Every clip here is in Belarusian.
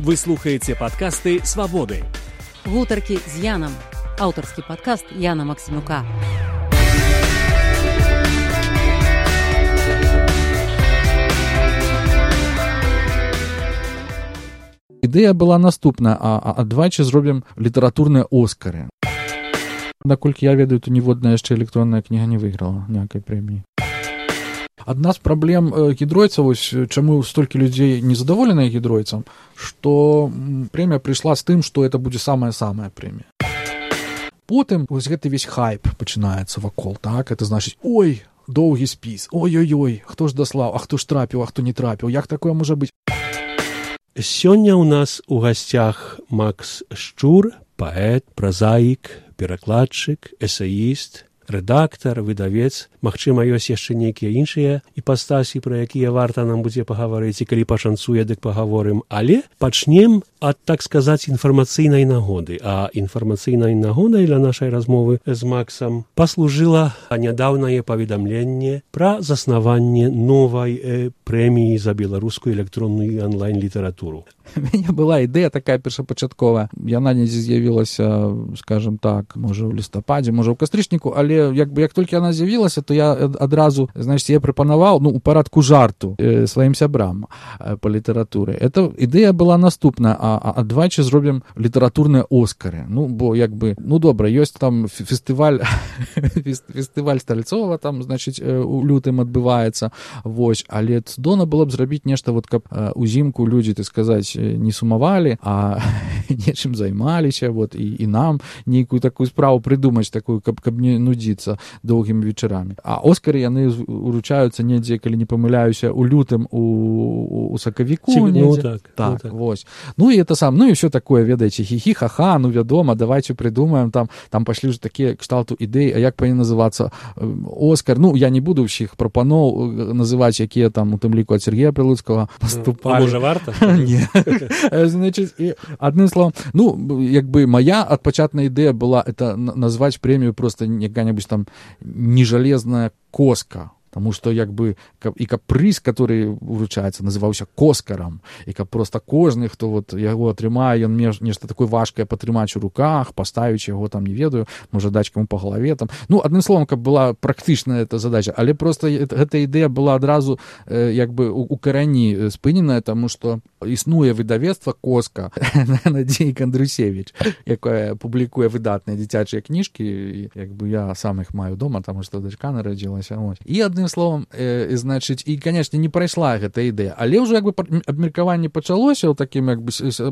Вы слухаеце падкасты «Свабоды». Гутаркі з Янам. Аўтарскі падкаст Яна Максімюка. Ідэя была наступная, адвайчы зробім літаратурныя Оскары. Наколькі я ведаю, то ніводная яшчэ электронная кніга не выйграла ніякай прэміі. Адна з праблем гідройцаў, чаму столькі людзей незадаволеныя гідройцам, што прэмія прыйшла з тым, што это будзе самая-самая прэмія. Потым вось гэты весь хайп пачынаецца вакол, так? Это значыць, ой, доўгі спіс, ой-ой-ой, хто ж даслаў, а хто ж трапіў, а хто не трапіў, як такое можа быць? Сёння ў нас у гасцях Макс Шчур, паэт, празаік, перакладчык, эсеіст, рэдактар, выдавец. Магчыма, ёсць яшчэ нейкія іншыя іпастасі, пра якія варта нам будзе пагаварыць, і калі пашанцуе, дык пагаворым. Але пачнем ад, так сказаць, інфармацыйнай нагоды. А інфармацыйнай нагодай для нашай размовы з Максам паслужыла нядаўнае паведамленне пра заснаванне новай прэміі за беларускую электронную онлайн-літаратуру. У мяне была ідэя такая першапачатковая. Яна недзе з'явілася, скажем так, можа ў лістападзе, можа ў кастрычніку, але як толькі яна з'явілася, то я адразу, значит, я прапанаваў, у парадку жарту сваім сябрам па літаратуры. Эта ідэя была наступная, адвайчы зробім літаратурныя Оскары. Бо добра, ёсць там фестываль Стальцова, там, значит, у лютым адбываецца, вось, але цудоўна было б зрабіць нешта, каб узімку людзі, так сказаць, не сумавалі, а нечым займаліся, і нам нейкую такую справу прыдумаць, такую, каб не нудзіцца доўгімі вечарамі. А Оскары яны уручаюцца недзе, калі не памыляюся, у лютым у сакавіку недзе. Так, вось. І это сам, і ўсё такое, ведаеце, хі-хі, ха-ха, вядома, давайте прыдумаем, там пашлі ж такія кшталту ідэй, а як павінен называцца Оскар. Я не буду ўсіх прапаноў называць, якія там у тым ліку ад Сергея Прилуцкага паступалі. Можа, варта? Не. Значит, адным словом, моя адпачатная ідэя была это назваць прэмію просто якая-небудзь там нежалезная коска. Потому что, каб прыз, который уручаецца, называўся Коскарам, і каб просто кожны, хто яго атрымае, ён нешта такое важкае патрымаць у руках, паставіць яго там, не ведаю, можа даць каму па галаве там. Адным словом, каб была практычная эта задача, але просто гэта ідэя была адразу у карані спыненая, таму што існуе выдавецтва Коска Надзеі Кандрусевіч, якая публікуе выдатныя дзіцячыя кніжкі, я сам іх маю дома, таму што дачка нарадзілася. І адным словом, значыць, і, канечне, не прайшла гэта ідэя, але ўжо абмеркаванне пачалося ў такім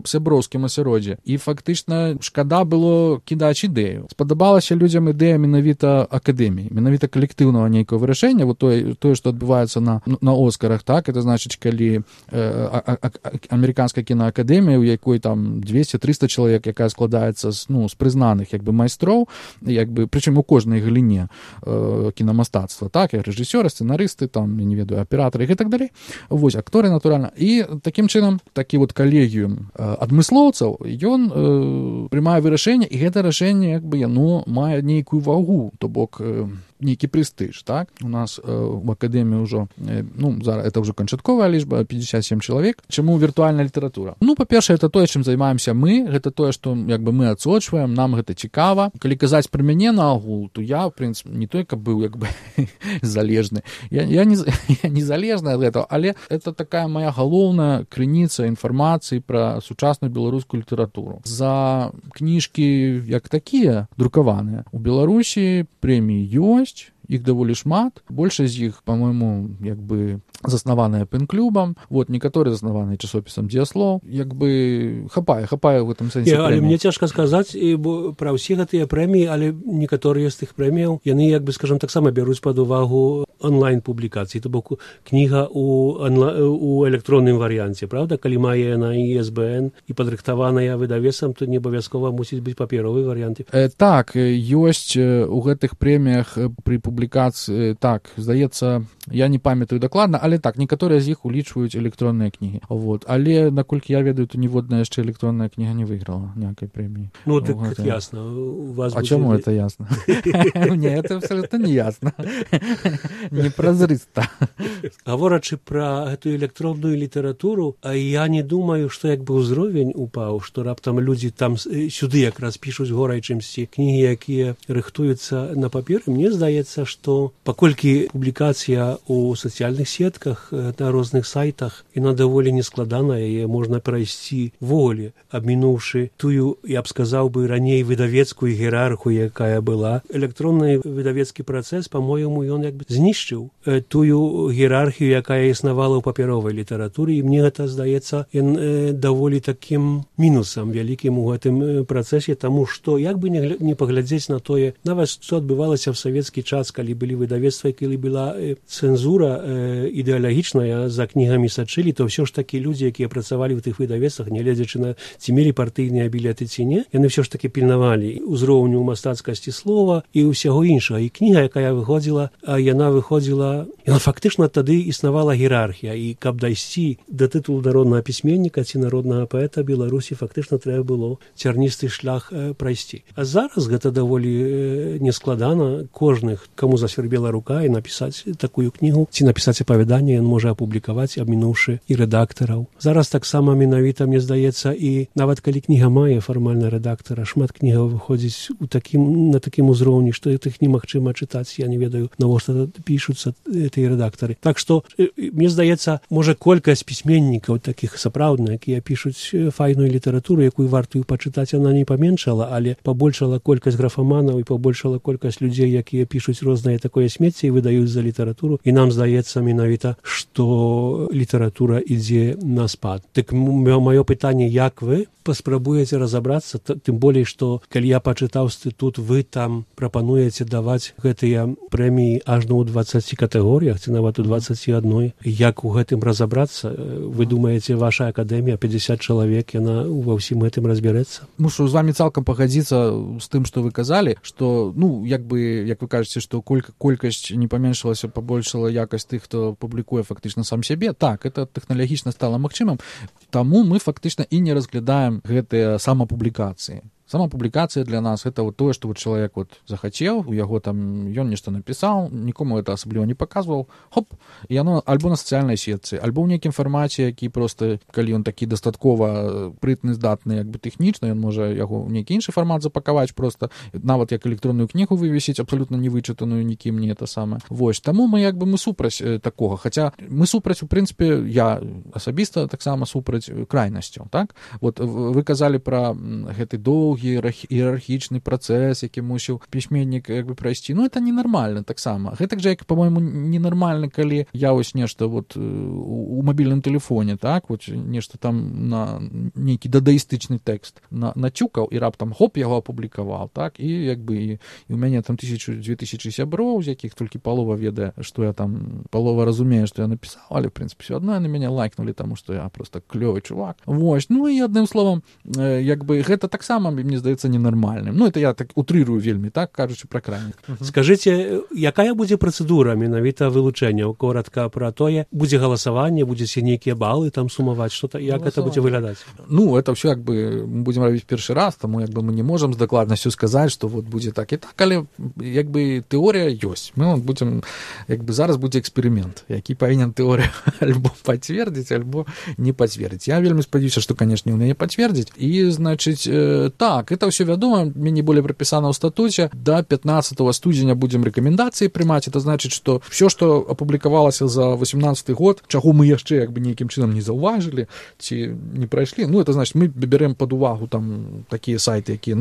сяброўскім асяроддзі, і фактычна шкада было кідаць ідэю. Спадабалася людзям ідэя менавіта акадэміі, менавіта калектыўнага нейкага вырашэння, тое, што адбываецца на Оскарах, так, это значыць, калі амерыканская кінаакадэмія, у якой там 200-300 чалавек, якая складаецца з прызнаных майстроў, прычым у кожнай галіне кінамастацтва, так, і рэжысёры, сцэнарысты, там, я не ведаю, аператары і так далей. Вось, акторы, натуральна. І такім чынам, такі калегіум адмыслоўцаў, ён прымае вырашэнне, і гэта рашэнне, яно мае нейкую вагу, то бок нейкі прэстыж, так? У нас в акадэміі ўжо, зараз это ўжо канчатковая лічба, 57 чалавек. Чаму віртуальная літаратура? Па-першае, это тое, чым займаемся мы, гэта тое, што мы адсочваем, нам гэта цікава. Калі казаць пра мяне на агул, то я, в прынцыпе, не той, каб быў залежны. Я не залежны ад гэтага, але это такая моя галоўная крыніца інфармацыі пра сучасную беларускую літаратуру. За кніжкі як такія друкаваныя у Беларусі прэміі ёсць, іх даволі шмат, большасць з іх, па-мойму, заснаваныя пэн-клубам, некаторыя заснаваныя часопісам «Дзеяслоў», хапае ў гэтым сэнсе прэміі. Але мне цяжка сказаць пра ўсе гэтыя прэміі, але некаторыя з тых прэміяў, яны, скажам, таксама бяруць пад увагу онлайн-публікацыі, то бок кніга у электронным варыянце, правда? Калі мае яна ISBN і падрыхтаваная выдавецам, то не абавязкова мусіць быць паперовы варыянт. Так, ёсць у гэтых прэміях пры публікацыі, так, здаецца, я не памятаю дакладна, але так, некаторыя з іх улічваюць электронныя кнігі. Але, наколькі я ведаю, то ніводная яшчэ электронная кніга не выйграла ніякай прэміі. Так ясна. А чаму это ясна? Не, это абсолютно не ясна. непразрыста. Гаворачы пра гэтую электронную літаратуру, я не думаю, што як бы ўзровень упаў, што раптам людзі там сюды якраз пішуць горай чымсьці кнігі, якія рыхтуюцца на паперы. Мне здаецца, што паколькі публікацыя ў сацыяльных сетках, на розных сайтах, яна даволі нескладаная, яе можна прайсці ввогуле, абмінуўшы тую, я б сказаў бы, раней выдавецкую іерархію, якая была. Электронны выдавецкі працэс, па-мойму, ён як бы знішчыў тую іерархію, якая існавала ў папяровай літаратуры, і мне гэта здаецца даволі такім мінусам вялікім у гэтым працэсе, таму што як бы не паглядзець на тое, нават што адбывалася ў савецкі час, калі былі выдавецтва, калі была цэнзура ідэалагічная, за кнігамі сачылі, то ўсё ж такі людзі, якія працавалі ў тых выдавецтвах, нягледзячы на ці мелі партыйныя білеты ці не, яны ўсё ж такі пільнавалі ўзроўню мастацкасці слова і ўсяго іншага. І кніга, якая выходзіла, яна фактычна тады існавала іерархія, і каб дайсці да тытулу народнага пісьменніка ці народнага паэта Беларусі, фактычна трэба было цярністы шлях прайсці. А зараз гэта даволі нескладана. Кожных, каму засвярбела рука, і напісаць такую кнігу, ці напісаць апавяданне, ён можа апублікаваць, абмінуўшы і рэдактараў. Зараз таксама менавіта, мне здаецца, і нават калі кніга мае фармальна рэдактара, шмат кнігаў выходзіць на такім узроўні, што іх немагчыма чытаць. Я не ведаю, навошта пішуцца тыя рэдактары. Так што, мне здаецца, можа колькасць пісьменнікаў такіх сапраўдных, якія пішуць файную літаратуру, якую вартую пачытаць, яна не паменшала, але пабольшала колькасць графаманаў і пабольшала колькасць людзей, якія пішуць рознае такое смецце і выдаюць за літаратуру. І нам здаецца менавіта, што літаратура ідзе на спад. Так маё пытанне, як вы паспрабуеце разабрацца, тым болей, што калі я пачытаў інстытут, вы там прапануеце даваць гэтыя прэміі ажно ў 20 катэгорыях, ці нават у 21. Як у гэтым разабрацца? Вы думаеце, ваша акадэмія, 50 чалавек, яна ва ўсім гэтым разбярэцца? Мушу з вами цалкам пагадзіцца з тым, што вы казалі, што, як вы кажаце, што колькасць не паменшылася, пабольшала якасць тых, хто публікуе фактычна сам сябе. Так, это тэхналагічна стала магчымым, таму мы фактычна і не разглядаем гэтыя самапублікацыі. Самапублікацыя для нас это вот тое, што вот чалавек вот захацеў, у яго там ён нешта напісаў, нікому это асабліва не паказваў, хоп, і яно альбо на сацыяльнай сетцы, альбо ў нейкім фармаце, які проста, калі ён такі дастаткова прытны, здатны, як бы тэхнічна, ён можа яго ў нейкі іншы фармат запакаваць проста, нават як электронную кнігу вывесіць, абсалютна не вычытаную нікім, не это самае. Вось, таму мы як бы мы супраць такога, хаця мы супраць, у прынцыпе, я асабіста таксама супраць крайнасцяў, так? Вот вы казалі пра гэты доўгі іерархічны працэс, які мусіў пісьменнік як бы прайсці. Это ненармальна таксама. Гэтак жа, як, па-мойму, ненармальна, калі я вось нешта вот у мабільным тэлефоне, так, вот нешта там на нейкі дадаістычны тэкст нацюкаў і раптам хоп, яго апублікаваў, так, і як бы і у мяне там 1000-2000 сяброў, з якіх толькі палова ведае, што я там, палова разумее, што я напісаў, але, в прынцыпе, все адно яны мяне лайкнулі, таму што я просто клёвы чувак. Вось, і адным словам, як бы гэта таксама мне здаецца ненармальным. Это я так утрырую вельмі, так, кажучы пра крайніх. Скажыце, якая будзе працэдура менавіта вылучэнняў? Коротка пра тое, будзе галасаванне, будзеце нейкія балы там сумаваць, што-то, як гэта будзе выглядаць? Это ўсё як бы мы будзем рабіць першы раз, таму як бы мы не можам з дакладнасцю сказаць, што вот будзе так і так, але як бы тэорыя ёсць. Мы будзем, як бы зараз будзе эксперымент, які павінен тэорыя альбо пацвердзіць, альбо не пацвердзіць. Я вельмі спадзяюся, што, канешне, у мяне пацвердзіць. І, значыць, так, это все вядома, менее более прописано в статуте. До 15 студзеня будем рекомендации приймать. Это значит, что все, что опубликовалось за 18 год, чаго мы яшчэ як бы нейкім чынам не заўважылі ці не прайшлі, это значит, мы берем под увагу там такія сайты, якія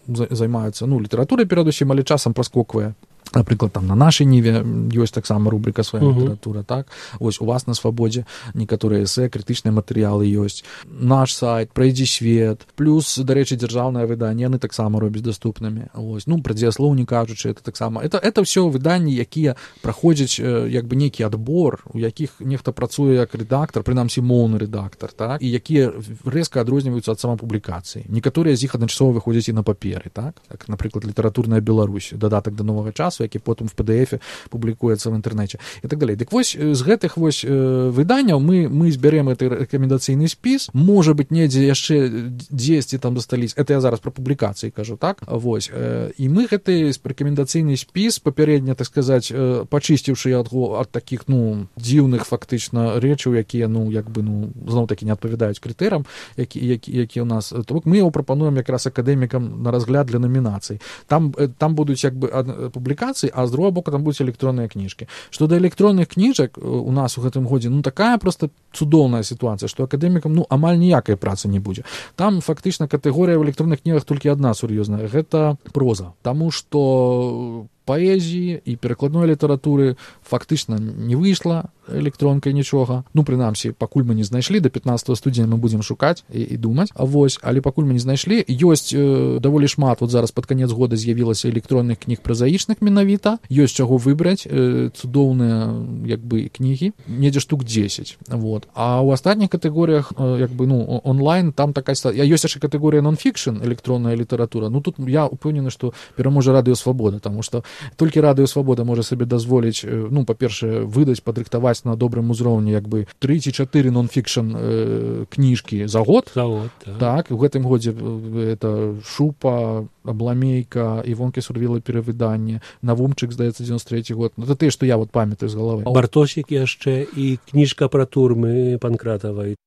займаюцца літаратурай перадусім, але часам праскоквае. Напрыклад, там на нашай ніве ёсць таксама рубрика «Свая літаратура», так? Вось у вас на «Свабодзе» некаторыя эсэ, крытычныя матэрыялы ёсць. Наш сайт, «Прайдзі свет», плюс, дарэчы, дзяржаўнае выданне, яны таксама робяць даступнымі. Вось, пра дзеяслоў не кажучы, это таксама. Это ўсё выданні, якія праходзяць як бы нейкі адбор, у якіх нехта працуе як рэдактар, прынамсі моўны рэдактар, так? І якія рэзка адрозніваюцца ад самапублікацыі. Некаторыя з іх адначасова выходзяць і на паперы, так? Як, напрыклад, «Літаратурная Беларусь», дадатак да новага часу, які потым в PDF публікуецца в інтэрнэце і так далей. Дык вось з гэтых вось выданняў мы збярем гэты рэкамендацыйны спіс, можа быць недзе яшчэ 10 там застались, это я зараз пра публікацыі кажу, так, вось, і мы гэты рэкамендацыйны спіс папярэдне, так сказаць, пачысціўшы яго ад такіх, дзіўных фактычна рэчаў, якія, зноў такі не адпавядаюць крытэрам, які у нас, то бок мы яго прапануем якраз акадэмікам на разгляд для номінацый. Там будуць як бы публікацыі, а з другого боку там будуць электронныя кніжкі. Што да электронных кніжак у нас у гэтым годзе, такая просто цудоўная сітуацыя, што акадэмікам, амаль ніякай працы не будзе. Там фактычна катэгорыя в электронных кнігах толькі адна сур'ёзная, гэта проза. Таму што паэзіі і перакладной літаратуры фактычна не выйшла электронкай нічога. Прынамсі, пакуль мы не знайшлі, да 15 студзеня мы будзем шукаць і думаць. Вось, але пакуль мы не знайшлі, ёсць даволі шмат, вот зараз пад канец года з'явілася электронных кніг празаічных менавіта, ёсць чаго выбраць, цудоўныя як бы кнігі, недзе штук 10. Вот. А ў астатніх катэгорыях як бы, онлайн, там такая, ёсць яшчэ катэгорыя нон-фікшн, электронная літаратура. Тут я упэўнены, што пераможа Радыё Свабода, таму што толькі Радыё Свабода можа сабе дазволіць, па-першае, выдаць, падрыхтаваць на добрым узроўні як бы 3 ці 4 нон-фікшн кніжкі за год. Так, у гэтым годзе это Шупа, Абламейка, Івонкі Сурвіла перавыданне, Навумчык, здаецца, 93 год. Это тыя, што я вот памятаю з галавы. Бартосік яшчэ і кніжка пра турмы Панкратавай.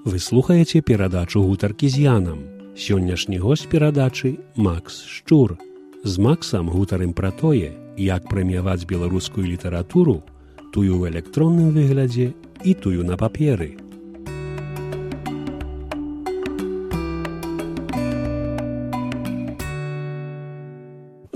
Вы слухаеце перадачу «Гутаркі з Янам». Сённяшні госць перадачы Макс Шчур. З Максам гутарым пра тое, як прэміяваць беларускую літаратуру, тую ў электронным выглядзе і тую на паперы.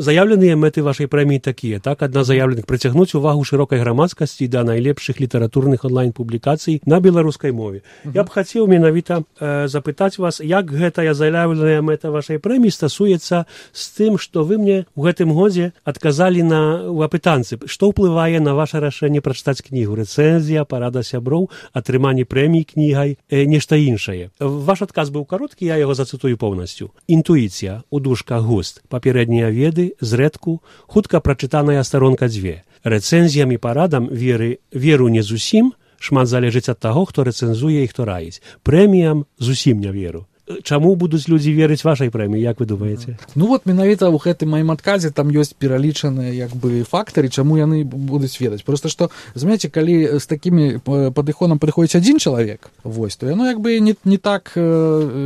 Заявленыя мэты вашай прэміі такія, так? Адна з заяўленых прыцягнуць увагу шырокай грамадскасці да найлепшых літаратурных онлайн-публікацый на беларускай мове. Я б хацеў менавіта запытаць вас, як гэтая заяўленая мэта вашай прэміі стасуецца з тым, што вы мне ў гэтым годзе адказалі ў апытанцы. Што ўплывае на ваше рашэнне прачытаць кнігу? Рэцэнзія, парада сяброў, атрыманне прэміі кнігай, нешта іншае. Ваш адказ быў кароткі, я яго зацытую поўнасцю. Інтуіцыя, у дужках густ, папярэднія веды, зрэдку, хутка прачытаная старонка 2. Рэцэнзіям і парадам веру не зусім, шмат залежыць ад таго, хто рэцэнзуе і хто раіць. Прэміям зусім не веру. Чаму будуць людзі верыць вашай прэміі, як вы думаеце? Менавіта ў гэтым маім адказе там ёсць пералічаныя як бы фактары, чаму яны будуць ведаць. Просто што, знаете, калі з такімі падыходам прыходзіць адзін чалавек, вось, то яно як бы не так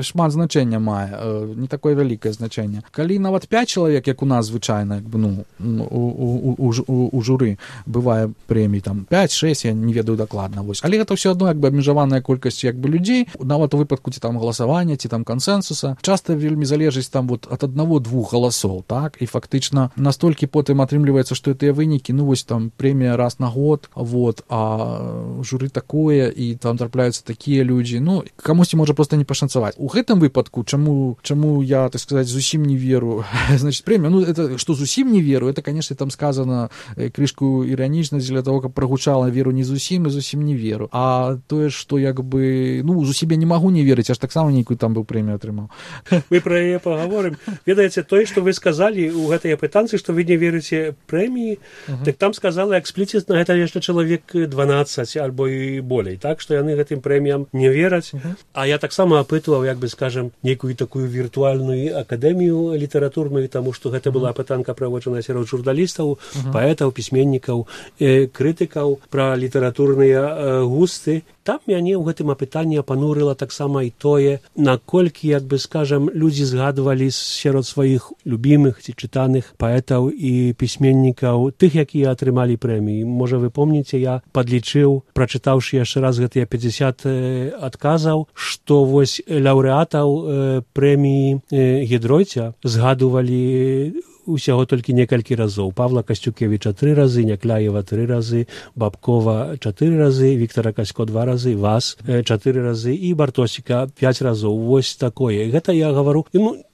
шмат значэння мае, не такое вялікае значэнне. Калі нават 5 чалавек, як у нас звычайна, як бы, у журы бывае прэмій, там 5-6, я не ведаю дакладна, вось. Але гэта ўсё адно як бы абмежаваная колькасць як бы людзей, нават у выпадку ці там галасавання, ці там кансенсуса, часта вельмі залежыць там вот ад 1-2 галасоў, так, і фактычна настолькі потым атрымліваецца, што тыя вынікі, вось там прэмія раз на год, вот, а журы такое, і там трапляюцца такія людзі, камусьці можа проста не пашанцаваць. У гэтым выпадку, чаму я, так сказаць, зусім не веру, значит, прэмія, это, што зусім не веру, это, конечно, там сказано крышку іранічна для того, каб прагучала веру не зусім і зусім не веру, а тое, што як бы, зусім я не магу не верыць, аж таксама нейкую там прэмію атрымаў. Мы пра яе пагаворым. Ведаеце, тое, што вы сказалі ў гэтай апытанцы, што вы не верыце прэміі, так там сказала экспліцітна, гэта яшчэ чалавек 12 альбо і болей, так, што яны гэтым прэміям не вераць. А я таксама апытваў, як бы, скажем, нейкую такую віртуальную акадэмію літаратурную, таму што гэта была апытанка праводжаная сярод журналістаў, паэтаў, пісьменнікаў, крытыкаў пра літаратурныя густы. Там мяне ў гэтым апытанні апанурыла таксама і тое, наколькі, як бы, скажам, людзі згадвалі сярод сваіх любімых ці чытаных паэтаў і пісьменнікаў, тых, якія атрымалі прэміі. Можа, вы помніце, я падлічыў, прачытаўшы яшчэ раз гэтыя 50 адказаў, што вось лаўрэатаў прэміі Гідройця згадувалі усяго толькі некалькі разоў. Павла Касцюкевіча 3 разы, Някляева 3 разы, Бабкова 4 разы, Віктара Касько 2 разы, вас 4 разы і Бартосіка 5 разоў. Вось такое. Гэта я гавару.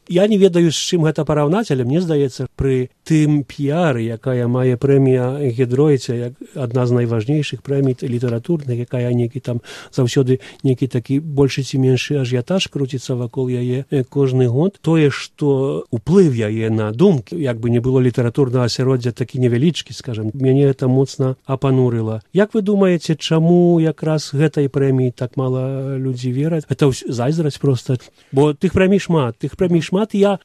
Я не ведаю, з чым гэта параўнаць, але мне здаецца, пры тым піяры, якая мае прэмія Гідройца, як адна з найважнейшых прэмій літаратурных, якая нейкі там заўсёды нейкі такі большы ці меншы ажіятаж круціцца вакол яе кожны год, тое, што уплыў яе на думкі, як бы не было літаратурнага асяроддзя такі невялічкі, скажам, мяне гэта моцна апанурыла. Як вы думаеце, чаму якраз гэтай прэміі так мала людзі вераць? Гэта зайздрасць проста, бо тых прэмій шмат. Я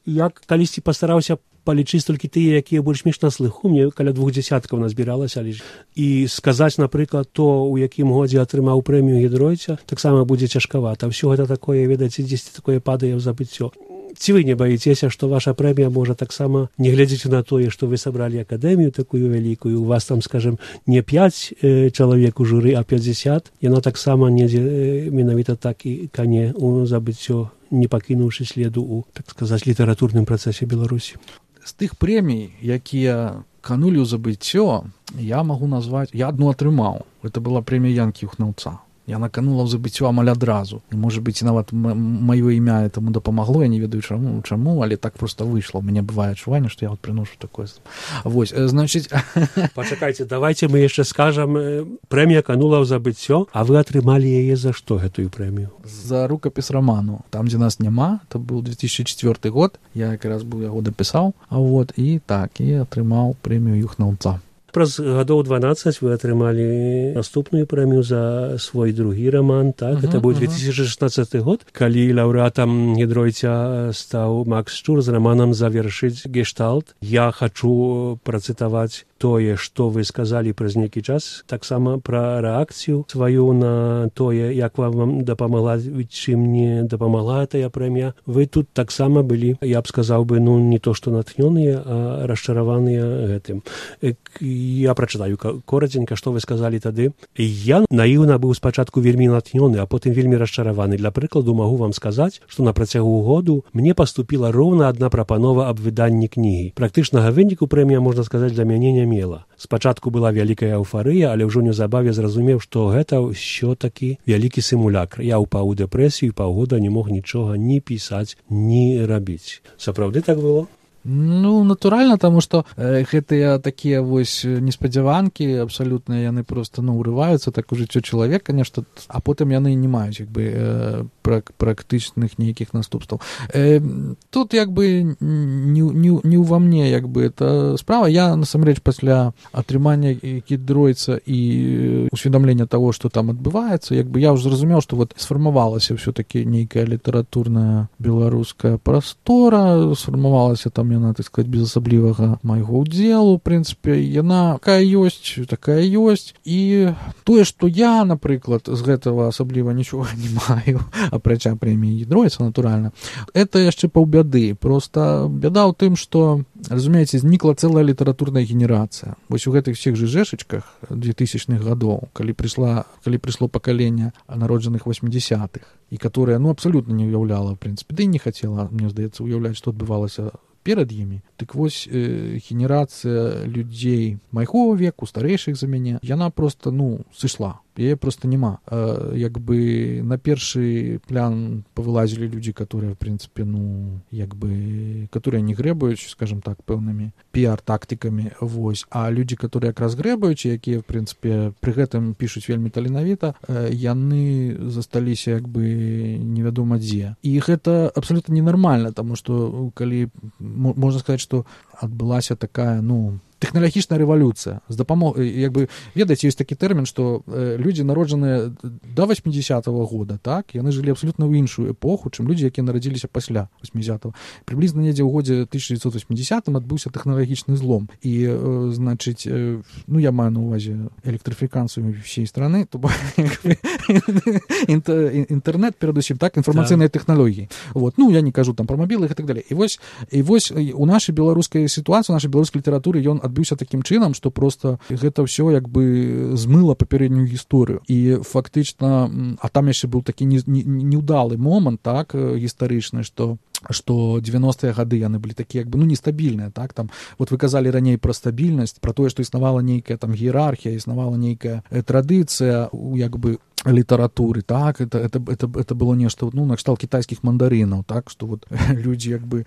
калісьці пастараўся палічыць толькі тыя, якія больш-менш на слыху, мне каля 20 назбіралася лічыць. І сказаць, напрыклад, то, у якім годзе атрымаў прэмію Гідройца, таксама будзе цяжкавата. Ўсё гэта такое, ведаеце, дзесьці такое падае ў забыццё. Ці вы не баіцеся, што ваша прэмія можа таксама, не глядзячы на тое, што вы сабралі акадэмію такую вялікую, у вас там, скажем, не 5 чалавек у журы, а 50, яна таксама недзе менавіта так і кане у забыццё, не пакінуўшы следу ў, так сказаць, літаратурным працэсе Беларусі. З тых прэмій, якія канулі ў забыццё, я магу назваць, я адну атрымаў. Это была прэмія Янкі Юхнаўца. Яна канула ў забыццё амаль адразу. І, можа быць, нават маё імя этому дапамагло, я не ведаю чаму, але так проста выйшла. У мяне бывае адчуванне, што я вот прыношу такое. Вось, значыць... Пачакайце, давайце мы яшчэ скажам, прэмія канула ў забыццё, а вы атрымалі яе за што, гэтую прэмію? За рукапіс раману. Там, дзе нас няма, это быў 2004 год, я якраз быў яго дапісаў, вот, і так, і атрымаў прэмію Юхнаўца. Праз гадоў 12 вы атрымалі наступную прэмію за свой другі раман, так? Гэта быў 2016 год, калі лаўрэатам Гідройца стаў Макс Шчур з раманам «Завершыць гештальт». Я хачу працытаваць тое, што вы сказалі праз нейкі час, таксама пра рэакцыю сваю на тое, як вам дапамагла, чым не дапамагла тая прэмія. Вы тут таксама былі, я б сказаў бы, ну, не то што натхнёныя, а расчараваныя гэтым. Я прачытаю коратенька, што вы сказалі тады. Я наіўна быў спачатку вельмі натхнёны, а потым вельмі расчараваны. Для прыкладу магу вам сказаць, што на працягу году мне паступіла роўна адна прапанова аб выданні кнігі. Практычнага выніку прэмія, можна сказаць, для мяне не мела. Спачатку была вялікая эўфарыя, але ўжо неўзабаве зразумеў, што гэта ўсё-такі вялікі сімулякр. Я ўпаў у дэпрэсію, паўгода не мог нічога ні пісаць, ні рабіць. Сапраўды так было? Ну, натуральна, таму што гэтыя такія вось неспадзяванкі абсалютна яны проста, ну, урываюцца так у жыццё чалавека, нешта, а потым яны не маюць, як бы, практычных нейкіх наступстваў. Тут, як бы, не ўва мне, як бы, это справа. Я, насамрэч, пасля атрымання Гідройца і усведамлення таго, што там адбываецца, як бы, я ўжо зразумеў, што вот сфармавалася ўсё-такі нейкая літаратурная беларуская прастора, сфармавалася там яна, так сказать, без асаблівага майго ўдзелу, в прынцыпе, яна такая ёсць, і тое, што я, напрыклад, з гэтага асабліва нічога не маю, апрача прэміі Гідройца, натуральна, это яшчэ паўбяды. Просто бяда ў тым, што, разумееце, знікла цэлая літаратурная генерацыя. Вось у гэтых всех жыжэшачках 2000-х гадоў, калі прыйшло пакаленне народжаных 80-х, і которое, ну, абсалютна не ўяўляла, в прынцыпе, ды і не хацела, мне здаецца, уяўляць, што адбывалася перад імі. Дык вось генерацыя людзей майго веку, старэйшых за мяне, яна проста, ну, сышла. Яе проста няма. Як бы на першы план павылазілі людзі, которые, в прынцыпе, ну, як бы, которые не грэбаюць, скажем так, пэўнымі піар-тактыкамі, вось. А людзі, которые якраз грэбаюць, якія, в прынцыпе, пры гэтым пішуць вельмі таленавіта, яны засталіся, як бы, невядома дзе. І гэта абсалютна ненармальна, таму што, калі, можна сказаць, што адбылася такая, ну, тэхналагічная рэвалюцыя з дапамогай, як бы, ведаеце, ёсць такі тэрмін, што людзі, народжаныя да 80-го года, так, яны жылі абсалютна ў іншую эпоху, чым людзі, якія нарадзіліся пасля 80-го. Прыблізна недзе ў годзе 1980-м адбыўся тэхналагічны злом. І, значыць, ну, я маю на ўвазе электрыфікацыю всей страны, то інтэрнет, перадусім, так, інфармацыйныя тэхналогіі. Вот, ну, я не кажу там пра мабілы і так далей. І вось у нашай беларускай сітуацыі, у нашай беларускай літаратуры ён адбыўся такім чынам, што проста гэта ўсё як бы змыла папярэднюю гісторыю. І фактычна, а там яшчэ быў такі неўдалы момант, так, гістарычны, што 90-е гады яны былі такія, як бы, ну, нестабільныя, так, там, вот вы казалі раней пра стабільнасць, пра тое, што існавала нейкая там іерархія, існавала нейкая традыцыя, як бы, літаратуры, так, это было нешта, ну, накшталт кітайскіх мандарынаў, так, што вот людзі як бы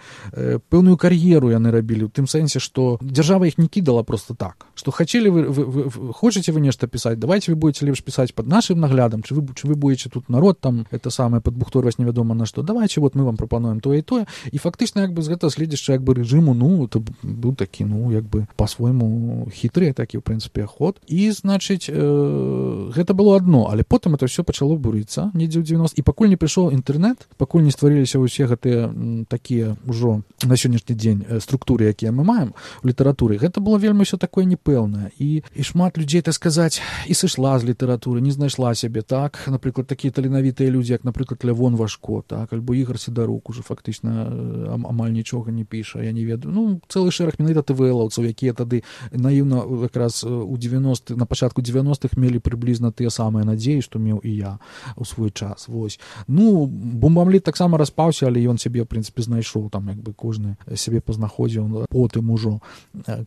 пэўную кар'еру яны рабілі, у тым сэнсе, што дзяржава іх не кідала просто так, што хацелі вы хочаце вы нешта пісаць, давайте вы будете лепш пісаць пад нашым наглядам, чи вы будете тут народ там, это самае падбухторваць невядома на што, давайте вот мы вам прапануем тое і тое, і фактычна як бы з гэтага следзішча як бы рэжыму, ну, это быў такі, ну, як бы па-свойму хітры такі, в прынцыпе, ход, і, значыць, гэта было адно, але потым это все пачало бурыцца недзе ў 90 і пакуль не прыйшоў інтэрнэт, пакуль не стварыліся ўсе гэтыя такія ўжо на сённяшні дзень структуры, якія мы маем у літаратуры, гэта было вельмі ўсё такое непэўнае, і шмат людзей, так сказаць, і сышла з літаратуры, не знайшла сябе, так, напрыклад, такія таленавітыя людзі, як, напрыклад, Лявон Вашко, так, альбо Ігор Сідарук, уже фактычна амаль нічога не піша, я не ведаю, ну, цэлы шэраг менавіта ТВЛаўцаў, якія тады наіўна якраз у 90-х, на пачатку 90-х мелі прыблізна тыя самыя надзеі, што меў і я у свой час, вось. Ну, Бомбамліт таксама распаўся, але ён сябе, в прынцыпе, знайшоў, там, як бы, кожны сябе пазнаходзіў, потым ужо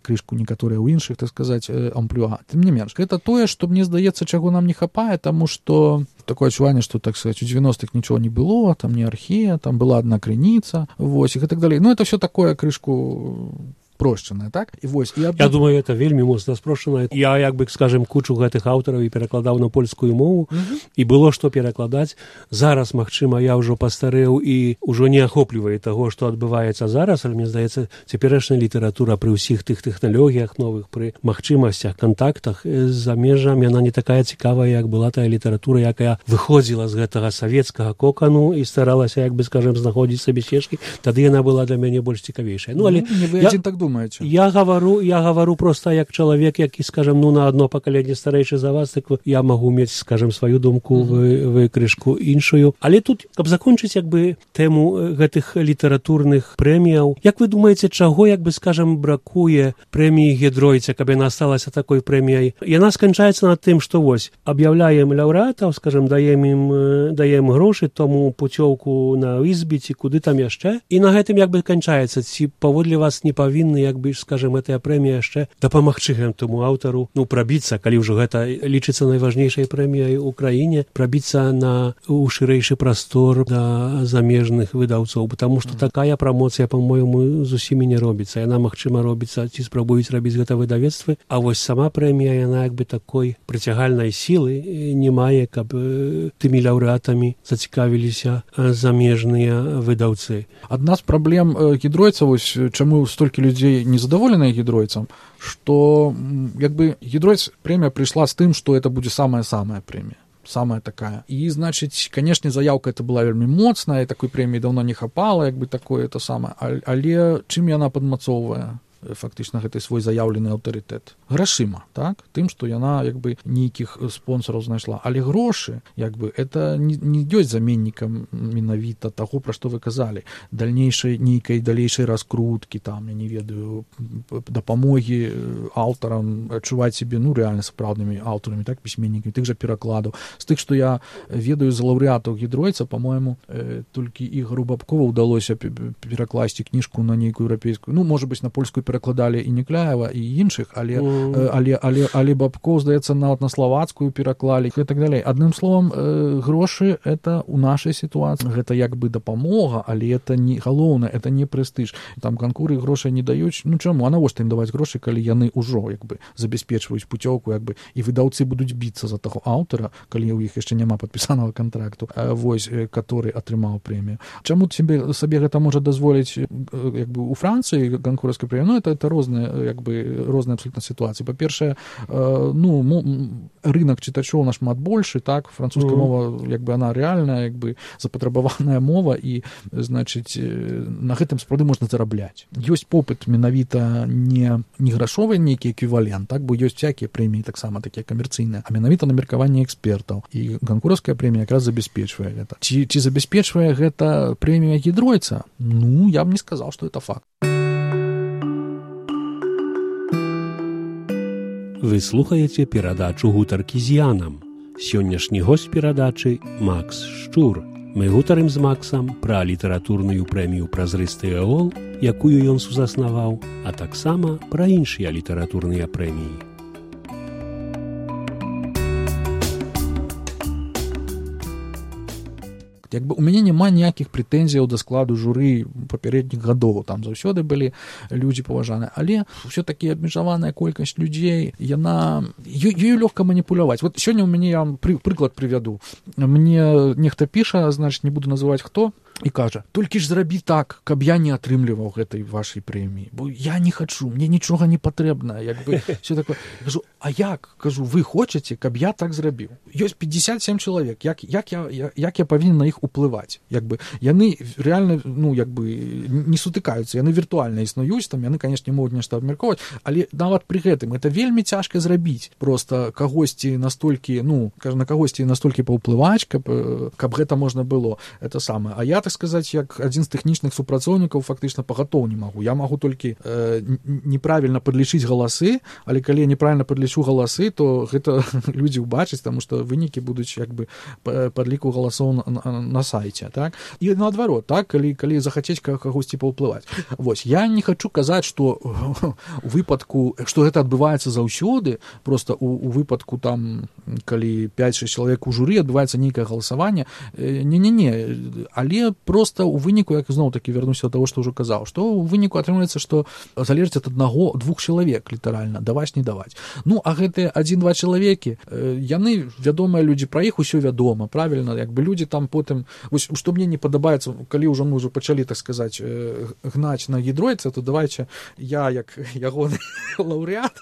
крышку некаторыя ў іншых, так сказаць, амплюа. Тым не менш, гэта тое, што, мне здаецца, чаго нам не хапае, таму што такое адчуванне, што, так сказаць, у 90-х нічого не было, там не архея, там была адна крыніца, вось, і так далей. Ну, это все такое крышку спрошчанае, так? І вось, я думаю, это вельмі моцна спрошчанае. Я, як бы, скажем, кучу гэтых аўтараў і перакладаў на польскую мову, і было што перакладаць. Зараз, магчыма, я ўжо пастарэў і ўжо не ахоплівае таго, што адбываецца зараз, але, мне здаецца, цяперашняя літаратура пры ўсіх тых тэхналогіях новых, пры магчымасцях, кантактах з замежам, яна не такая цікавая, як была тая літаратура, якая выходзіла з гэтага савецкага кокану і старалася, як бы, скажем, знаходзіць сабе сцежкі. Тады яна была для мяне больш цікавейшая. Ну, але не вы адзін так думаете? Я говорю просто як чалавек, які, скажем, ну, на одно пакаленне старэйшы за вас, так я магу мець, скажем, сваю думку, вы крышку іншую. Але тут, каб закончыць, як бы, тэму гэтых літаратурных прэміяў, як вы думаеце, чаго, як бы, скажем, бракуе прэміі Гідройца, каб яна сталася такой прэміяй? Яна сканчаецца над тым, што вось, аб'яўляем лаўрэатаў, скажем, даем грошы тому пуцёўку на ізбі, ці куды там яшчэ, і на гэтым, як бы, канчаецца. Ці паводле вас не павінны, як бы, скажем, гэтая прэмія яшчэ дапамагчы гэтаму аўтару, ну, прабіцца, калі ўжо гэта лічыцца найважнейшай прэміяй у краіне, прабіцца у шырэйшы прастор да замежных выдаўцоў, потому што такая прамоцыя, па-мойму, зусім не робіцца. Яна, магчыма, робіцца, ці спрабуюць рабіць гэта выдавецтвы, а вось сама прэмія, яна, як бы, такой прыцягальнай сілы не мае, каб тымі лаўрэатамі зацікавіліся замежныя выдаўцы. Адна з праблем Гідройца, вось, чаму столькі людзей незадаволеныя Гідройцам, што, як бы, Гідройц прэмія прыйшла з тым, што это будзе самая-самая прэмія. Самая такая. І, значыць, канешне, заяўка это была вельмі моцная, такой прэміі даўно не хапала, як бы, такое это самае. Але чым яна падмацоўвае фактычна гэты свой заяўлены аўтарытэт? Грашыма, так? Тым, што яна, як бы, нейкіх спонсораў знайшла. Але грошы, як бы, это не ёсць заменнікам менавіта таго, пра што вы казалі. Дальнейшай нейкай далейшай раскруткі, там, я не ведаю, дапамогі аўтарам адчуваць сябе, ну, рэальна сапраўднымі аўтарамі, так, пісьменнікамі, тых жа перакладаў. З тых, што я ведаю з лаўрэатаў Гідройца, па-мойму, толькі Ігору Бабкову ўдалося перакласці кніжку на нейкую еўрапейскую, ну, можа быць, на польскую перакладалі і Некляева, і іншых, але Бабкоў, здаецца, нават на славацкую пераклалі і так далей. Адным словам, грошы это ў нашай сітуацыі, гэта як бы дапамога, але это не галоўнае, это не прэстыж. Там канкуры грошай не даюць. Ну чаму? А навошта ім даваць грошы, калі яны ўжо, як бы, забяспечваюць пуцёўку, як бы, і выдаўцы будуць біцца за таго аўтара, калі ў іх яшчэ няма падпісанага кантракту, вось, который атрымаў прэмію. Чаму сабе гэта можа дазволіць, як бы, у Францыі канкурскай прэміі? Ну, это розныя, як бы, розныя абсолютно сітуацыі. Па-першае, ну, рынок чытачоў нашмат большы, так, французская мова, як бы, она рэальная, як бы, запатрабаваная мова, і, значыць, на гэтым сапраўды можна зарабляць. Ёсць попыт менавіта не грашовы нейкі эквівалент, так, бо ёсць всякія прэміі таксама такія камерцыйныя, а менавіта на меркаванне экспертаў. І канкурская прэмія якраз забяспечвае гэта. Ці забяспечвае гэта прэмія Гідройца? Ну, я б не сказаў, што это факт. Вы слухаеце перадачу «Гутаркі з Янам». Сённяшні госць перадачы – Макс Шчур. Мы гутарым з Максам пра літаратурную прэмію «Празрысты эол», якую ён сузаснаваў, а таксама пра іншыя літаратурныя прэміі. Як бы у мяне няма ніякіх прэтэнзіяў да складу журы папярэдніх гадоў, там заўсёды былі людзі паважаныя, але ўсё-такі абмежаваная колькасць людзей, ёю лёгка маніпуляваць. Вот сёння у мяне, я вам прыклад прывяду. Мне нехта піша, значит, не буду называць хто, і кажа: толькі ж зрабі так, каб я не атрымліваў гэтай вашай прэміі, бо я не хачу, мне нічога не патрэбна, як бы все такое. Кажу: а як? Кажу, вы хочаце, каб я так зрабіў? Ёсць 57 чалавек, як я павінен на іх уплываць? Як бы яны реально, ну, як бы не сутыкаюцца, яны віртуальна існуюць, там яны, конечно, не могуць нешта абмяркоўваць, але нават пры гэтым это вельмі цяжка зрабіць. Просто кагосьці настолькі, ну, кажа, на кагосьці настолькі паўплываць, каб гэта можна было. Это самае. А я, так сказаць, як адзін з тэхнічных супрацоўнікаў фактычна пагатоў не магу. Я магу толькі неправільна падлічыць галасы, але калі я неправільна падлічу галасы, то гэта людзі ўбачаць, таму што вынікі будуць як бы падліку галасоў на сайце, так? І наадварот, так, калі захацець кагосьці паўплываць. Вось, я не хачу казаць, што у выпадку, што гэта адбываецца заўсёды, просто у выпадку там, калі 5-6 чалавек у журы адбываецца нейкае галасаванне, не, але просто у выніку, як зноў-такі вярнуся да таго, што ўжо казаў, што у выніку атрымліваецца, што залежыць ад аднаго-двух чалавек, літаральна, даваць, не даваць. Ну, а гэтыя 1-2 чалавекі, яны, вядомыя людзі, пра іх усё вядома, правільна, як бы людзі там потым, вось, што мне не падабаецца, калі ўжо мы ўжо пачалі, так сказаць, гнаць на гідройца, то давайце я, як ягоны лаўрэат,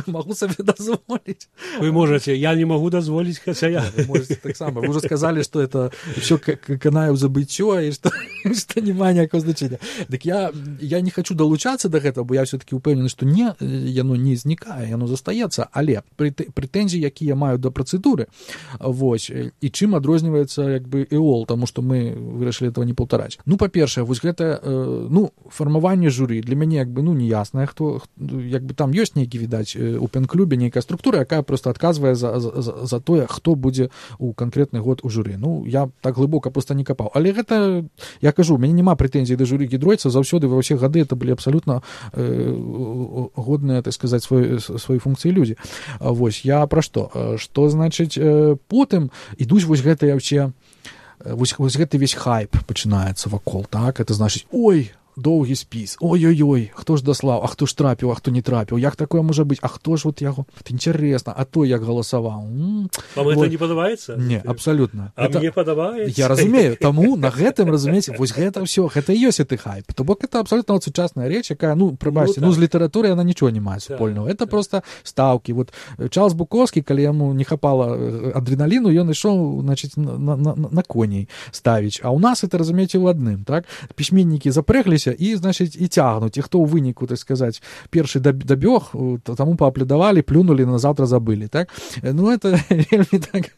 магу сабе дазволіць. Вы можаце, я не магу дазволіць, хаця я. Вы можаце таксама. Вы ўжо сказалі, што это ўсё канае ў забыццё, і што няма ніякага значэння. Дык я не хачу далучацца да гэтага, бо я ўсё-такі ўпэўнены, што яно не знікае, яно застаецца, але прэтэнзіі, якія маю да працэдуры, вось, і чым адрозніваецца як бы ЭОЛ, таму што мы вырашылі этого не паўтараць. Ну, па-першае, вось гэта, ну, фармаванне журы для мяне як бы, ну, неяснае, хто, як бы там ёсць нейкі, відаць, у пен-клубе нейкая структура, якая проста адказвае за тое, хто будзе у канкрэтны год у журы. Ну, я так глыбока проста не капаў. Але гэта, я кажу, у мяне няма прэтэнзій да журы гідройца, заўсёды ва ўсе гады это былі абсалютна годныя, так сказаць, свае функцыі людзі. Вось, я пра што? Што, значыць, потым ідуць вось гэтыя ўсе, вось гэты весь хайп пачынаецца вакол, так? Это значыць, ой, доўгі спіс, ой-ой-ой, хто ж даслаў, а хто ж трапіў, а хто не трапіў, як такое можа быць, а хто ж вот яго, это інтарэсна, а той як галасаваў. Вам гэта не падабаецца? Не, абсалютна. А мне падабаецца? Я разумею, таму на гэтым, разумееце, вось гэта ўсё, гэта і ёсць гэты хайп. То бок это абсалютна сучасная рэч, якая, ну, прыбачце, ну, з літаратурай яна нічого не мае супольнага. Это просто стаўкі. Вот Чарльз Буковскі, калі яму не хапала адреналіну, ён ішоў, значыць, на коней ставіць. А ў нас это, разумееце, у адным, так? Пісьменнікі запрэгліся і, значыць, і цягнуць. І хто ў выніку, так сказаць, першы дабёг, таму пааплюдавалі, плюнулі, на заўтра забылі, так? Ну, это вельмі так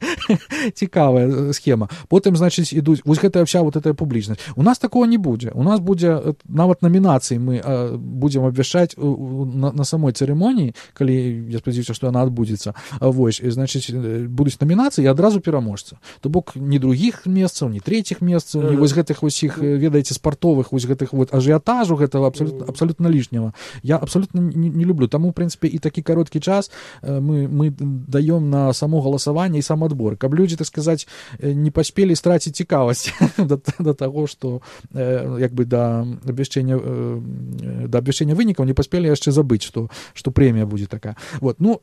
цікавая схема. Потым, значыць, ідуць, вось гэтая вся вот эта публічнасць. У нас такого не будзе. У нас будзе, нават намінацыі мы будзем абвяшчаць на самой цырымоніі, калі, я спадзяюся, што яна адбудзецца. Вось, значыць, будуць намінацыі і адразу пераможца. То бок, ні другіх месцаў, ні трэціх месцаў, ні вось гэтых усіх, ведаеце, спартовых, вось гэтых вот ажыятажу гэтага абсалютна лішняга. Я абсалютна не люблю. Таму, у прынцыпе, і такі кароткі час мы даём на само галасаванне і сам адбор. Каб людзі, так сказаць, не паспелі страціць цікавасць да таго, што як бы да абвяшчэння вынікаў не паспелі яшчэ забыць, што прэмія будзе такая. Вот. Ну,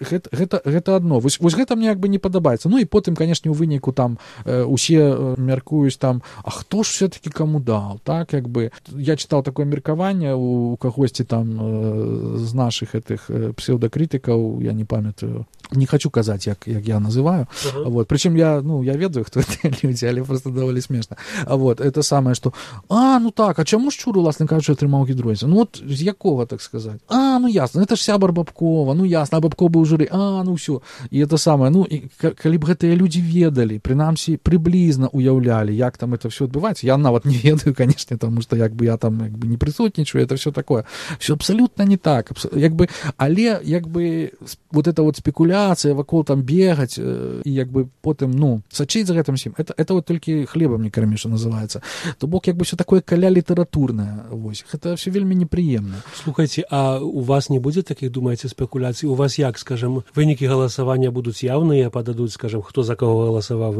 гэта адно. Вось гэта мне як бы не падабаецца. Ну і потым, канешне, у выніку там усе мяркуюць там, а хто ж все-таки каму даў, так, як бы. Я чытаў такое меркаванне у кагосьці там з нашых гэтых псеўдакрытыкаў, я не памятаю, не хочу казаць, як я называю. Вот. Прычым я ведаю, хто гэтыя людзі, але просто даволі смешна. Вот. Это самае, што ну так, а чаму Шчур, уласна кажучы, атрымаў гідройца? Ну от з якога, так сказаць? Ну ясна, это ж сябар Бабкова, ну ясна, а Бабков быў у журы, ну ўсё. І это самае, ну, і калі б гэтыя людзі ведалі, прынамсі, прыблізна уяўлялі, як там это все адбываецца, я нават не ведаю, канешне, таму што як бы я там як бы не прысутнічаю, это все такое. Все абсолютно не так. Як бы, але як бы вот эта вот спекуляция смяяцца, вакол там бегаць, і як бы потым, ну, сачыць за гэтым всім. Это вот толькі хлебам не кармі, што называецца. То бок, як бы все такое каля літаратурнае, вось. Гэта все вельмі непрыемна. Слухайце, а у вас не будзе такіх, думаеце, спекуляцый? У вас як, скажем, вынікі галасавання будуць яўныя, пададуць, скажем, хто за кого галасаваў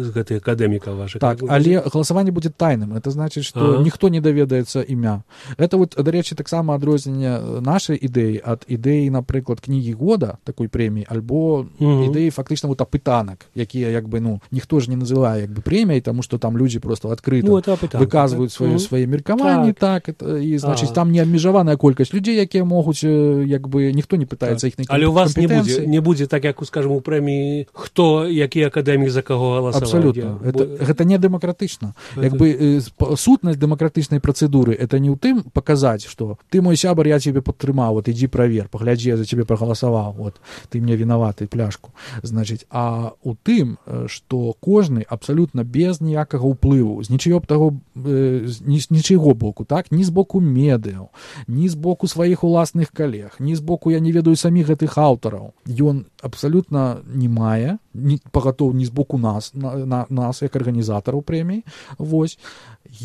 з гэтых акадэмікаў вашых? Так, але галасаванне будзе тайным. Это значыць, што ніхто не даведаецца імя. Это вот, дарэчы, таксама адрозненне нашай ідэі ад ідэі, напрыклад, кнігі года, такой прэміі, альбо ідэі фактычна вот апытанак, якія, як бы, ну, ніхто ж не называе, як бы, прэміяй, таму што там людзі просто адкрыта выказваюць свае меркаванні, так, і, значыць, там не абмежаваная колькасць людзей, якія могуць, як бы, ніхто не пытаецца іх компетэнцыі. Але у вас не будзе так, як, скажем, у прэміі, хто, які акадэмік за каго галасаваў. Абсолютно. Гэта не дэмакратычна. Як бы, сутнасць дэмакратычнай працэдуры, это не ў тым паказаць, што ты мой сябар, я цябе падтрымаў, вот ідзі правер, паглядзі, я за цябе прагаласаваў, вот, ты мне вінаваты, пляшку. Значыць, а ў тым, што кожны абсалютна без ніякага ўплыву, з нічыйго боку, так, ні з боку медыяў, ні з боку сваіх уласных калег, ні з боку, я не ведаю саміх гэтых аўтараў. Ён абсалютна не мае, пагатоў ні з боку нас як арганізатараў прэміі, вось,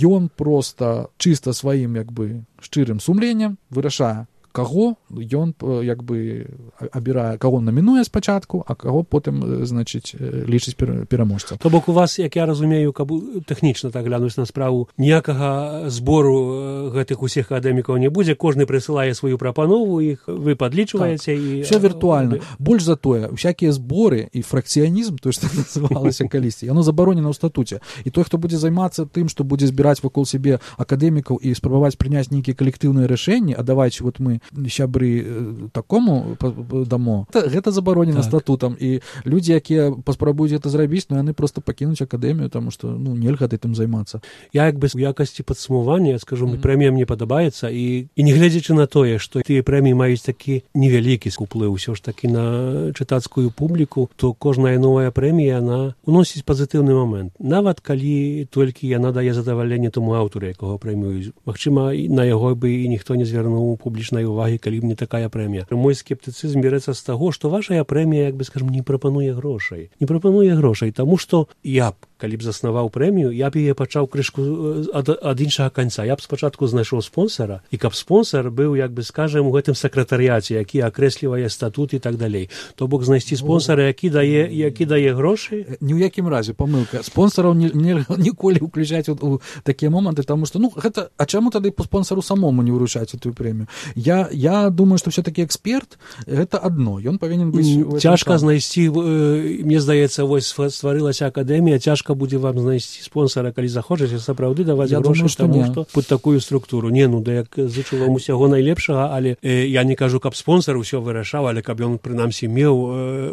ён проста чыста сваім, як бы, шчырым сумленнем вырашае, каго ён, як бы, абірае, каго намінуе спачатку, а каго потым, значыць, лічыць пераможцам. То бок у вас, як я разумею, каб тэхнічна так глянуць на справу, ніякага збору гэтых усіх акадэмікаў не будзе, кожны прысылае сваю прапанову, іх вы падлічваеце. Так, все віртуальна. Больш за тое, усякія зборы і фракцыянізм, то, што называлася калісьці, яно забаронена ў статуце. І той, хто будзе займацца тым, што будзе збіраць вакол сябе акадэмікаў і спрабаваць прыняць нейкія калектыўныя рашэнні, а давайце вот мы сябры такому дамо, гэта забаронена статутам, і людзі, якія паспрабуюць гэта зрабіць, ну яны просто пакінуць акадэмію, таму што, ну, нельга гэтым займацца. Я, як бы, у якасці падсумавання скажу, прэмія мне падабаецца, і не гледзячы на тое, што тыя прэміі маюць такі невялікі уплыў ўсё ж такі на чытацкую публіку, то кожная новая прэмія, яна уносіць пазітыўны момент. Нават калі толькі яна дае задавальненне тому аўтару, якога прэміюць. Магчыма, на яго бы і ніхто не звярнуў публічнай увагі, калі б не такая прэмія. Мой скептыцызм бярэцца з таго, што вашая прэмія, як бы, скажем, не прапануе грошай. Не прапануе грошай, таму што я б, калі б заснаваў прэмію, я б яе пачаў крышку ад іншага канца. Я б спачатку знайшоў спонсара, і каб спонсар быў, як бы, скажем, у гэтым сакратарыяце, які акрэслівае статут і так далей. То бок знайсці спонсара, які дае грошы. Ні ў якім разе, памылка. Спонсараў ніколі ўключаць у такія моманты, таму што, ну, гэта, а чаму тады по спонсару самому не ўручаць эту прэмію? Я думаю, што все-таки эксперт гэта адно, ён павінен быць... Цяжка знайсці, мне здаецца, вось стварылася акадэмія, цяжка будзе вам знайсці спонсара, калі захочаце сапраўды даваць грошы, таму што пад такую структуру. Не, ну, да як зычу вам усяго найлепшага, але я не кажу, каб спонсар усё вырашаў, але каб ён, прынамсі, меў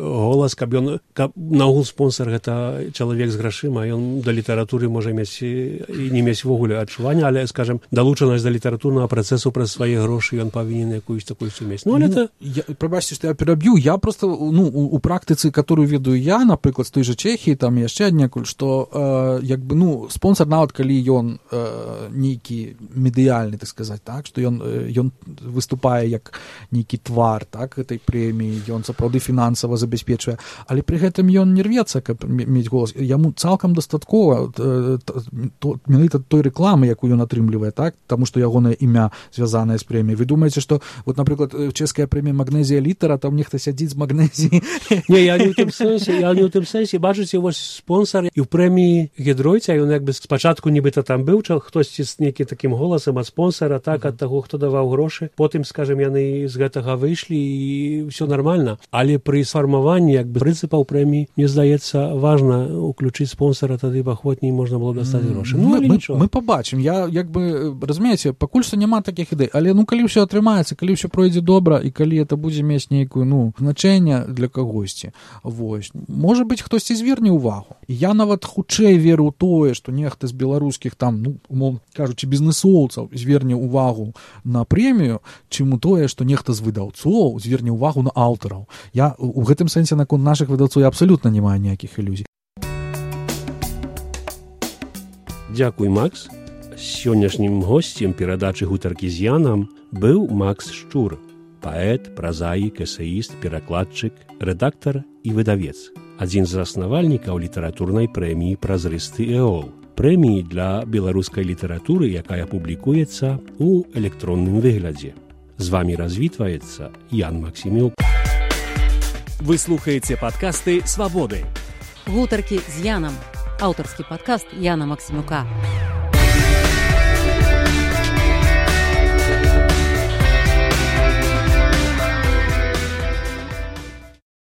голас, каб наогул спонсар гэта чалавек з грашыма, ён да літаратуры можа мець і не мець вогуле адчування, але, скажем, далучанасць да літаратурнага працэсу праз свае грошы ён павінен якуюсь такую сумесь. Ну, але это... Прабачце, што я пераб'ю, я просто, ну, у практыцы, которую ведаю я, напрыклад, з той жа Чэхіі, там яшчэ аднекуль, што, як бы, ну, спонсар, нават калі ён нейкі медыяльны, так сказаць, так, што ён выступае як нейкі твар, так, гэтай прэміі, ён сапраўды фінансава забяспечвае, але пры гэтым ён не рвецца, каб мець голас. Яму цалкам дастаткова менавіта той рэкламы, якую ён атрымлівае, так, таму што ягонае імя звязанае з прэміяй. Вы думаеце, што, вот, напрыклад, чэшская прэмія «Магнезія літара», там нехта сядзіць з магнезіі? Не, я не ў тым сэнсе. Бачыце, вось спонсар і ў прэміі Гідройця, ён, як бы, спачатку нібыта там быў, хтосьці з нейкім такім голасам ад спонсара, так, ад таго, хто даваў грошы. Потым, скажем, яны з гэтага выйшлі і ўсё нармальна. Але пры сфармаванні, як бы, прынцыпаў прэміі, мне здаецца, важна уключыць спонсара, тады ахвотней можна было дастаць грошы. Ну, мы пабачым. Я, як бы, разумееце, пакуль што няма такіх ідэй, але, ну, калі ўсё атрымаецца, калі ўсё пройдзе добра і калі это будзе мець нейкую, ну, значэнне для кагосьці, вось, можа быць, хтосьці зверне ўвагу. Я нават хутчэй веру ў тое, што нехта з беларускіх там, ну, умоўна кажучы, бізнэсоўцаў зверне ўвагу на прэмію, чым у тое, што нехта з выдаўцоў зверне ўвагу на аўтараў. Я у гэтым сэнсе наконт нашых выдаўцоў абсалютна не маю ніякіх ілюзій. Дзякуй, Макс. Сённяшнім госцем перадачы «Гутаркі з Янам» быў Макс Шчур, паэт, празаік, эсэіст, перакладчык, рэдактар і выдавец. Адзін з заснавальнікаў літаратурнай прэміі «Празрысты эол», прэміі для беларускай літаратуры, якая публікуецца ў электронным выглядзе. З вамі развітваецца Ян Максімюк. Вы слухаеце падкасты «Свабоды». Гутаркі з Янам. Аўтарскі падкаст Яна Максімюка.